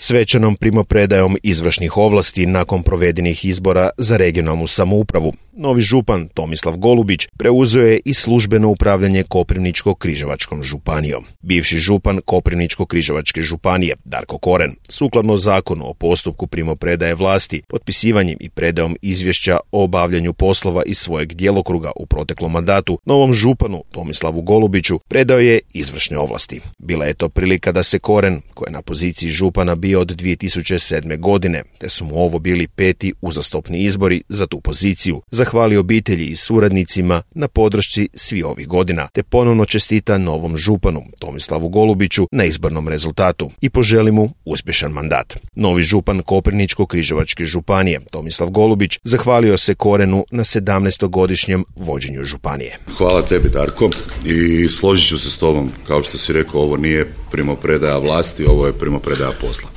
Svečanom primopredajom izvršnih ovlasti nakon provedenih izbora za regionalnu samoupravu, novi župan Tomislav Golubić preuzeo je i službeno upravljanje Koprivničko-križevačkom županijom. Bivši župan Koprivničko-križevačke županije Darko Koren, sukladno zakonu o postupku primopredaje vlasti, potpisivanjem i predajom izvješća o obavljanju poslova iz svojeg djelokruga u proteklom mandatu, novom županu Tomislavu Golubiću predao je izvršne ovlasti. Bila je to prilika da se Koren, koji je na poziciji župana bio od 2007. godine, te su mu ovo bili 5. uzastopni izbori za tu poziciju, zahvali obitelji i suradnicima na podršci svih ovih godina, te ponovno čestita novom županu Tomislavu Golubiću na izbornom rezultatu i poželi mu uspješan mandat. Novi župan Koprivničko-križevačke županije Tomislav Golubić zahvalio se Korenu na 17-godišnjem vođenju županije. Hvala tebi, Darko, i složit ću se s tobom. Kao što si rekao, ovo nije primopredaja vlasti, ovo je primopredaja posla.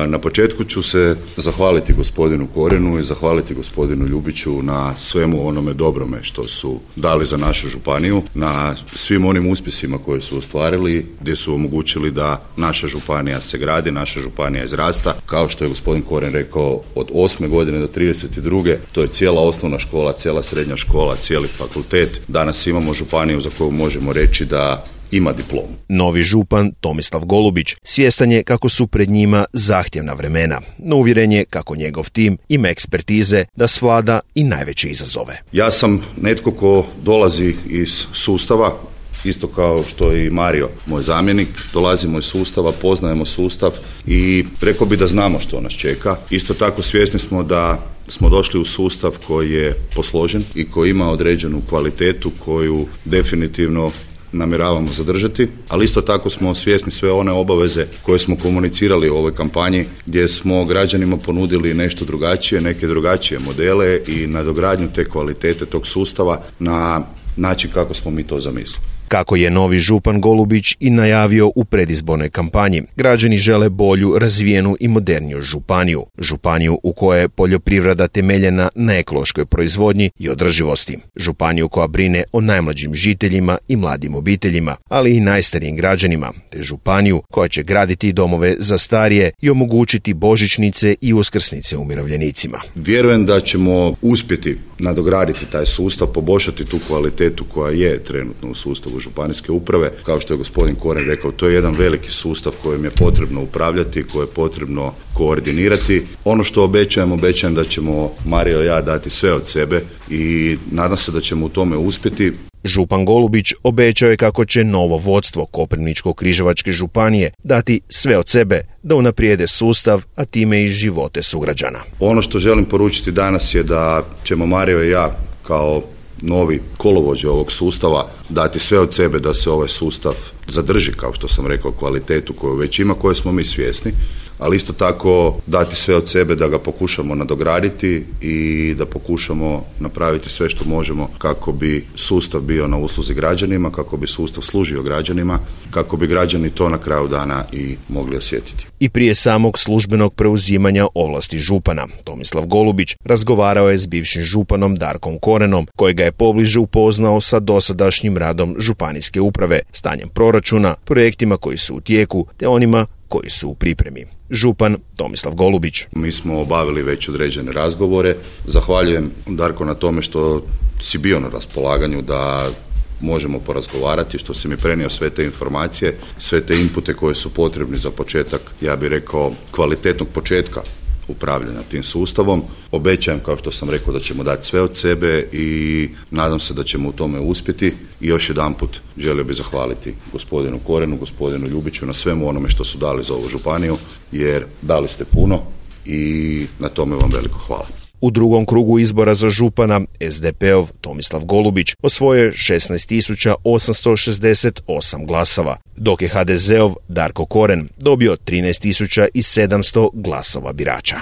Na početku ću se zahvaliti gospodinu Korenu i zahvaliti gospodinu Ljubiću na svemu onome dobrome što su dali za našu županiju, na svim onim uspjesima koje su ostvarili, gdje su omogućili da naša županija se gradi, naša županija izrasta. Kao što je gospodin Koren rekao, od 8. godine do 32. to je cijela osnovna škola, cijela srednja škola, cijeli fakultet. Danas imamo županiju za koju možemo reći da ima diplomu. Novi župan Tomislav Golubić svjestan je kako su pred njima zahtjevna vremena, no uvjeren je kako njegov tim ima ekspertize da svlada i najveće izazove. Ja sam netko ko dolazi iz sustava, isto kao što i Mario, moj zamjenik, dolazimo iz sustava, poznajemo sustav i rekao bi da znamo što nas čeka. Isto tako svjesni smo da smo došli u sustav koji je posložen i koji ima određenu kvalitetu koju definitivno namjeravamo zadržati, ali isto tako smo svjesni sve one obaveze koje smo komunicirali u ovoj kampanji, gdje smo građanima ponudili nešto drugačije, neke drugačije modele i nadogradnju te kvalitete tog sustava na način kako smo mi to zamislili. Kako je novi župan Golubić i najavio u predizbornoj kampanji, građani žele bolju, razvijenu i moderniju županiju. Županiju u kojoj je poljoprivreda temeljena na ekološkoj proizvodnji i održivosti. Županiju koja brine o najmlađim žiteljima i mladim obiteljima, ali i najstarijim građanima, te županiju koja će graditi domove za starije i omogućiti božićnice i uskrsnice umirovljenicima. Vjerujem da ćemo uspjeti nadograditi taj sustav, poboljšati tu kvalitetu koja je trenutno u sustavu županijske uprave. Kao što je gospodin Koren rekao, to je jedan veliki sustav kojim je potrebno upravljati, koje je potrebno koordinirati. Ono što obećajem da ćemo Mario i ja dati sve od sebe i nadam se da ćemo u tome uspjeti. Župan Golubić obećao je kako će novo vodstvo Koprivničko-križevačke županije dati sve od sebe da unaprijede sustav, a time i živote sugrađana. Ono što želim poručiti danas je da ćemo Mario i ja kao novi kolovođe ovog sustava dati sve od sebe da se ovaj sustav zadrži, kao što sam rekao, kvalitetu koju već ima, koje smo mi svjesni, ali isto tako dati sve od sebe da ga pokušamo nadograditi i da pokušamo napraviti sve što možemo kako bi sustav bio na usluzi građanima, kako bi sustav služio građanima, kako bi građani to na kraju dana i mogli osjetiti. I prije samog službenog preuzimanja ovlasti župana, Tomislav Golubić razgovarao je s bivšim županom Darkom Korenom, kojega je pobliže upoznao sa dosadašnjim radom županijske uprave, stanjem proračuna, projektima koji su u tijeku, te onima koji su u pripremi. Župan Tomislav Golubić. Mi smo obavili već određene razgovore. Zahvaljujem, Darko, na tome što si bio na raspolaganju da možemo porazgovarati, što si mi prenio sve te informacije, sve te inpute koje su potrebni za početak, ja bih rekao, kvalitetnog početka upravljanja tim sustavom. Obećajem, kao što sam rekao, da ćemo dati sve od sebe i nadam se da ćemo u tome uspjeti. I još jedanput želio bih zahvaliti gospodinu Korenu, gospodinu Ljubiću na svemu onome što su dali za ovu županiju, jer dali ste puno i na tome vam veliko hvala. U drugom krugu izbora za župana SDP-ov Tomislav Golubić osvojio je 16.868 glasova, dok je HDZ-ov Darko Koren dobio 13.700 glasova birača.